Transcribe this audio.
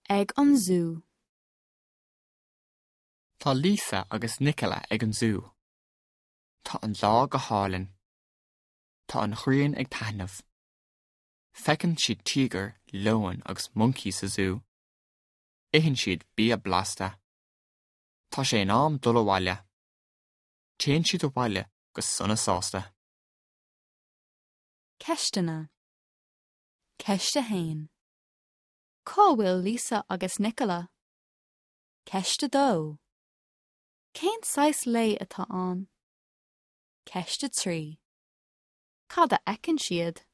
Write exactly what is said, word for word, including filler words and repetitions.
Ag an zú. Tá Lisa agus Nicola ag an zú. Tá an lá go hálainn. Tá an ghrian ag taitneamh. Feiceann siad tíogar, leon agus moncaí sa zú. Itheann siad bia blasta. Tá sé in am dul abhaile. Téann siad abhaile go sona sásta. Ceisteanna. Ceist a haon. Cá bhfuil Lisa agus Nicola? Ceist a dó. Cén saghas lae atá ann? Ceist a trí. Cad a fheiceann siad?